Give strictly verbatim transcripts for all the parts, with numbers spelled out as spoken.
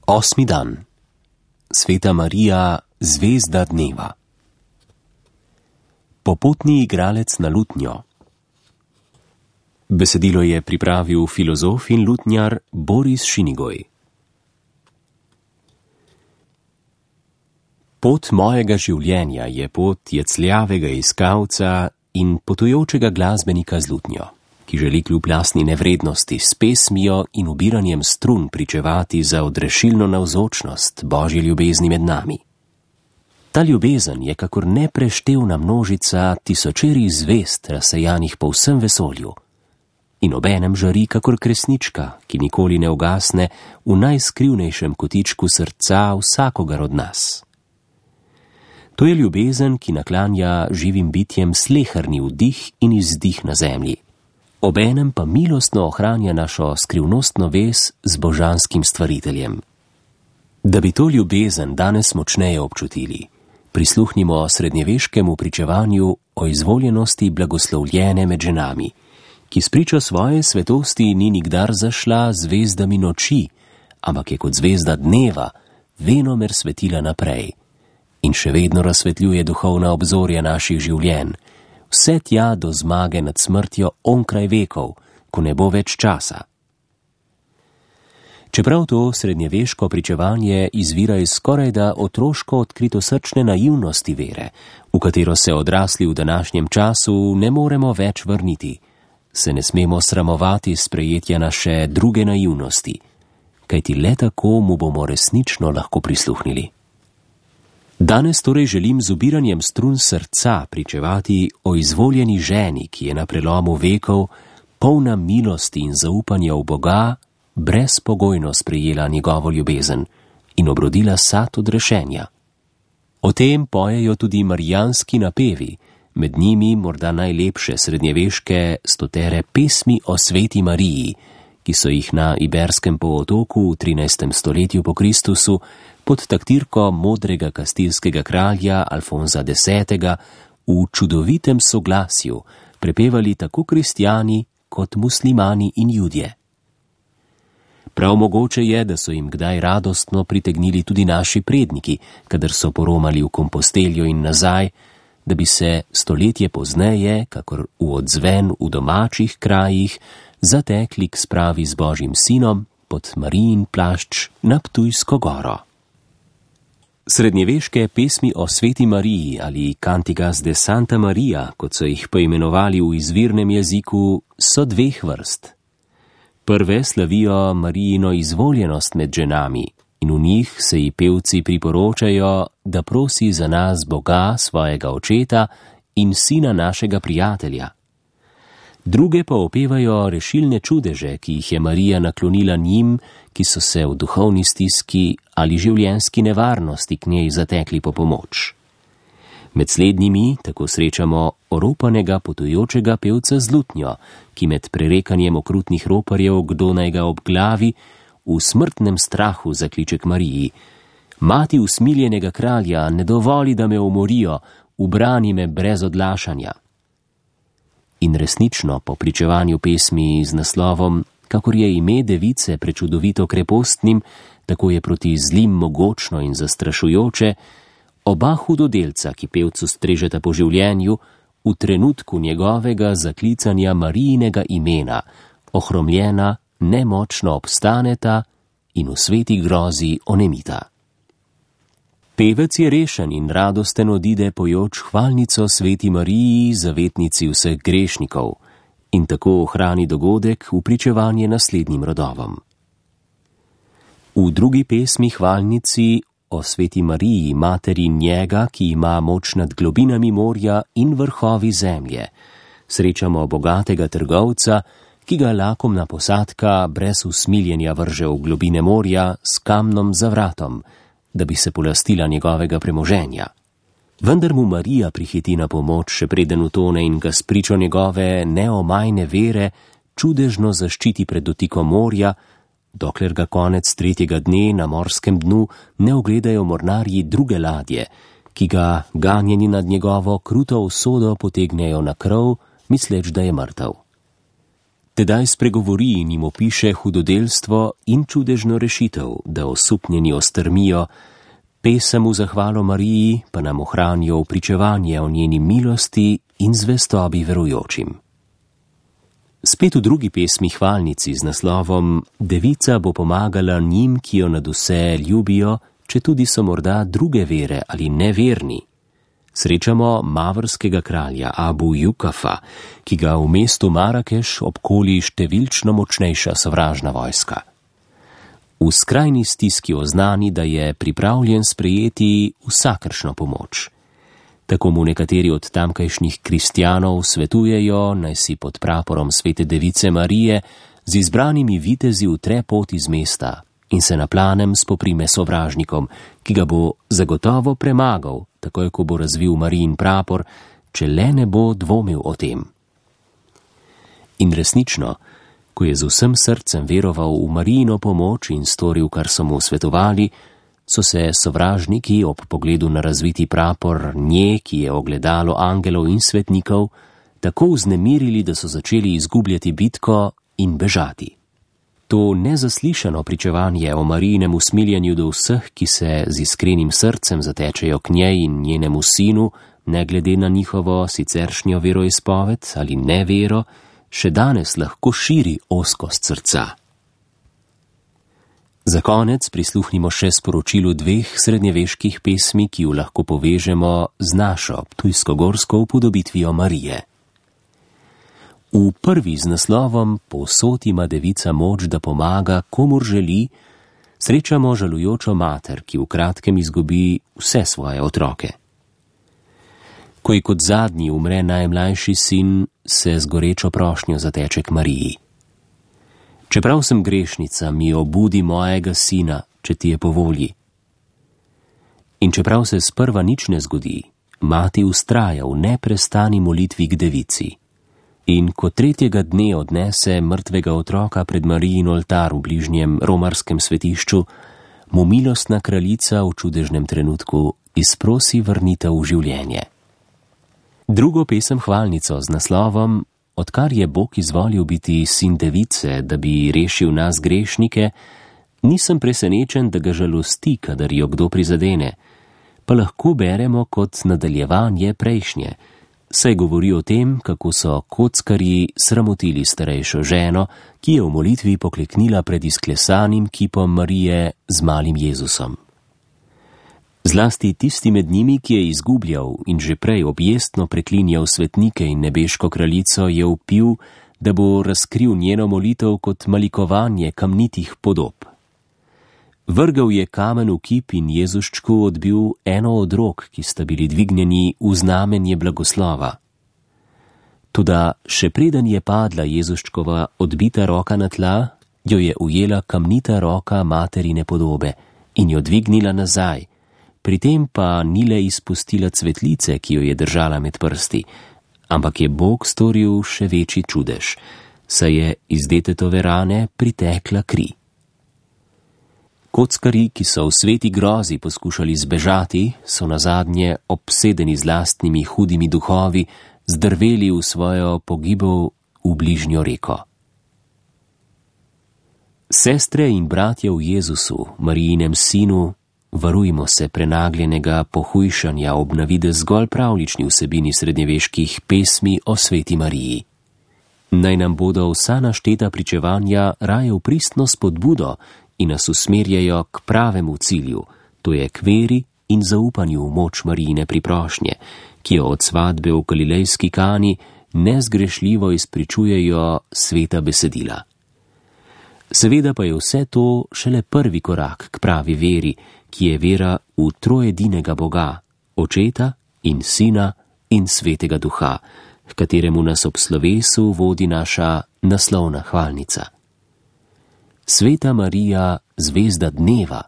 Osmi dan. Sveta Marija, zvezda dneva. Popotni igralec na lutnjo. Besedilo je pripravil filozof in lutnjar Boris Šinigoj. Pot mojega življenja je pot jecljavega iskalca in potujočega glasbenika z lutnjo, ki želi kljub lastni nevrednosti s pesmijo in ubiranjem strun pričevati za odrešilno navzočnost Božje ljubezni med nami. Ta ljubezen je kakor nepreštevna množica tisočerih zvezd razsejanih po vsem vesolju in obenem žari kakor kresnička, ki nikoli ne ugasne v najskrivnejšem kotičku srca vsakogar od nas. To je ljubezen, ki naklanja živim bitjem sleherni vdih in izdih na zemlji. Obenem pa milostno ohranja našo skrivnostno vez z božanskim stvariteljem. Da bi to ljubezen danes močneje občutili, prisluhnimo srednjeveškemu pričevanju o izvoljenosti blagoslovljene med ženami, ki spričo svoje svetosti ni nikdar zašla zvezdami noči, ampak je kot zvezda dneva venomer svetila naprej in še vedno razsvetljuje duhovna obzorja naših življenj, vse tja do zmage nad smrtjo onkraj vekov, ko ne bo več časa. Čeprav to srednjeveško pričevanje izvira iz skorajda otroško odkritosrčne naivnosti vere, v katero se odrasli v današnjem času ne moremo več vrniti, se ne smemo sramovati sprejetja naše druge naivnosti, kajti le tako mu bomo resnično lahko prisluhnili. Danes torej želim z ubiranjem strun srca pričevati o izvoljeni ženi, ki je na prelomu vekov, polna milosti in zaupanja v Boga, brezpogojno sprejela njegovo ljubezen in obrodila sad odrešenja. O tem pojejo tudi marijanski napevi, med njimi morda najlepše srednjeveške stotere pesmi o sveti Mariji, ki so jih na Iberskem polotoku v trinajstem stoletju po Kristusu pod taktirko modrega kastilskega kralja Alfonza desetega v čudovitem soglasju prepevali tako kristjani kot muslimani in judje. Prav mogoče je, da so jim kdaj radostno pritegnili tudi naši predniki, kadar so poromali v Komposteljo in nazaj, da bi se stoletje pozneje, kakor v odzven v domačih krajih, zatekli k spravi z Božjim sinom pod Marijin plašč na Ptujsko goro. Srednjeveške pesmi o sveti Mariji ali Cantigas de Santa Maria, kot so jih poimenovali v izvirnem jeziku, so dveh vrst. Prve slavijo Marijino izvoljenost med ženami in v njih se ji pevci priporočajo, da prosi za nas Boga, svojega očeta in sina našega prijatelja. Druge pa opevajo rešilne čudeže, ki jih je Marija naklonila njim, ki so se v duhovni stiski ali življenjski nevarnosti k njej zatekli po pomoč. Med slednjimi tako srečamo oropanega potujočega pevca z lutnjo, ki med prerekanjem okrutnih roparjev, kdo naj ga obglavi, v smrtnem strahu zakliče k Mariji: Mati usmiljenega kralja, ne dovoli, da me umorijo, ubrani me brez odlašanja. In resnično, po pričevanju pesmi z naslovom Kakor je ime device prečudovito krepostnim, tako je proti zlim mogočno in zastrašujoče, oba hudodelca, ki pevcu strežeta po življenju, v trenutku njegovega zaklicanja Marijinega imena, ohromljena, nemočno obstaneta in v sveti grozi onemita. Pevec je rešen in radosten odide pojoč hvalnico sveti Mariji, zavetnici vseh grešnikov, in tako ohrani dogodek v pričevanje naslednjim rodovom. V drugi pesmi hvalnici o sveti Mariji, materi njega, ki ima moč nad globinami morja in vrhovi zemlje, srečamo bogatega trgovca, ki ga lakomna posadka brez usmiljenja vrže v globine morja s kamnom za vratom, da bi se polastila njegovega premoženja. Vendar mu Marija prihiti na pomoč, še preden utone in ga spričo njegove neomajne vere čudežno zaščiti pred dotikom morja, dokler ga konec tretjega dne na morskem dnu ne ogledajo mornarji druge ladje, ki ga ganjeni nad njegovo kruto usodo potegnejo na krov, misleč, da je mrtev. Tedaj spregovori in jim opiše hudodelstvo in čudežno rešitev, da osupnjeni ostrmijo, pesem v zahvalo Mariji pa nam ohranijo pričevanje o njeni milosti in zvestobi verujočim. Spet v drugi pesmi hvalnici z naslovom Devica bo pomagala njim, ki jo nad vse ljubijo, če tudi so morda druge vere ali neverni. Srečamo mavrskega kralja Abu Jukafa, ki ga v mestu Marakeš obkoli številčno močnejša sovražna vojska. V skrajni stiski oznani, da je pripravljen sprejeti vsakršno pomoč. Tako mu nekateri od tamkajšnjih kristjanov svetujejo, naj si pod praporom svete device Marije z izbranimi vitezi utre pot iz mesta in se na planem spoprime sovražnikom, ki ga bo zagotovo premagal, takoj ko bo razvil Marijin prapor, če le ne bo dvomil o tem. In resnično, ko je z vsem srcem veroval v Marijino pomoč in storil, kar so mu svetovali, so se sovražniki ob pogledu na razviti prapor nje, ki je ogledalo angelov in svetnikov, tako vznemirili, da so začeli izgubljati bitko in bežati. To nezaslišano pričevanje o Marijinem usmiljenju do vseh, ki se z iskrenim srcem zatečejo k njej in njenemu sinu, ne glede na njihovo siceršnjo veroizpoved ali nevero, še danes lahko širi ozkost srca. Za konec prisluhnimo še sporočilu dveh srednjeveških pesmi, ki ju lahko povežemo z našo ptujsko-gorsko upodobitvijo Marije. V prvi z naslovom Povsod ima devica moč, da pomaga, komur želi, srečamo žalujočo mater, ki v kratkem izgubi vse svoje otroke. Ko ji kot zadnji umre najmlajši sin, se z gorečo prošnjo zateče k Mariji. Čeprav sem grešnica, mi obudi mojega sina, če ti je po volji. In čeprav se sprva nič ne zgodi, mati vztraja v neprestani molitvi k devici. In ko tretjega dne odnese mrtvega otroka pred Marijin oltar v bližnjem romarskem svetišču, mu milostna kraljica v čudežnem trenutku izprosi vrnitev v življenje. Drugo pesem hvalnico z naslovom Odkar je Bog izvolil biti sin device, da bi rešil nas grešnike, nisem presenečen, da ga žalosti, kadar jo kdo prizadene, pa lahko beremo kot nadaljevanje prejšnje, saj govori o tem, kako so kockarji sramotili starejšo ženo, ki je v molitvi pokleknila pred izklesanim kipom Marije z malim Jezusom. Zlasti tisti med njimi, ki je izgubljal in že prej objestno preklinjal svetnike in nebeško kraljico, je vpil, da bo razkril njeno molitev kot malikovanje kamnitih podob. Vrgal je kamen v kip in Jezuščku odbil eno od rok, ki sta bili dvignjeni v znamenje blagoslova. Toda še preden je padla Jezuščkova odbita roka na tla, jo je ujela kamnita roka materine podobe in jo dvignila nazaj, pri tem pa ni le izpustila cvetlice, ki jo je držala med prsti, ampak je Bog storil še večji čudež, saj je iz detetove rane pritekla kri. Kockarji, ki so v sveti grozi poskušali zbežati, so nazadnje obsedeni z lastnimi hudimi duhovi zdrveli v svojo pogibov v bližnjo reko. Sestre in bratje v Jezusu, Marijinem sinu, varujmo se prenagljenega pohujšanja ob navidez zgolj pravlični vsebini srednjeveških pesmi o sveti Mariji. Naj nam bodo vsa našteta pričevanja raje v pristno spodbudo in nas usmerjajo k pravemu cilju, to je k veri in zaupanju v moč Marijine priprošnje, ki jo od svadbe v galilejski Kani nezgrešljivo izpričujejo sveta besedila. Seveda pa je vse to šele prvi korak k pravi veri, ki je vera v trojedinega Boga, Očeta in Sina in Svetega Duha, k kateremu nas ob slovesu vodi naša naslovna hvalnica. Sveta Marija, zvezda dneva,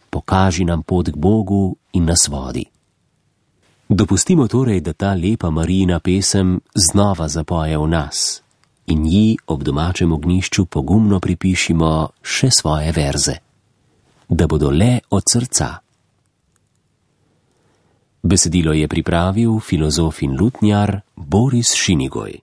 pokaži nam pot k Bogu in nas vodi. Dopustimo torej, da ta lepa Marijina pesem znova zapoje v nas in ji ob domačem ognjišču pogumno pripišimo še svoje verze, da bodo le od srca. Besedilo je pripravil filozof in lutnjar Boris Šinigoj.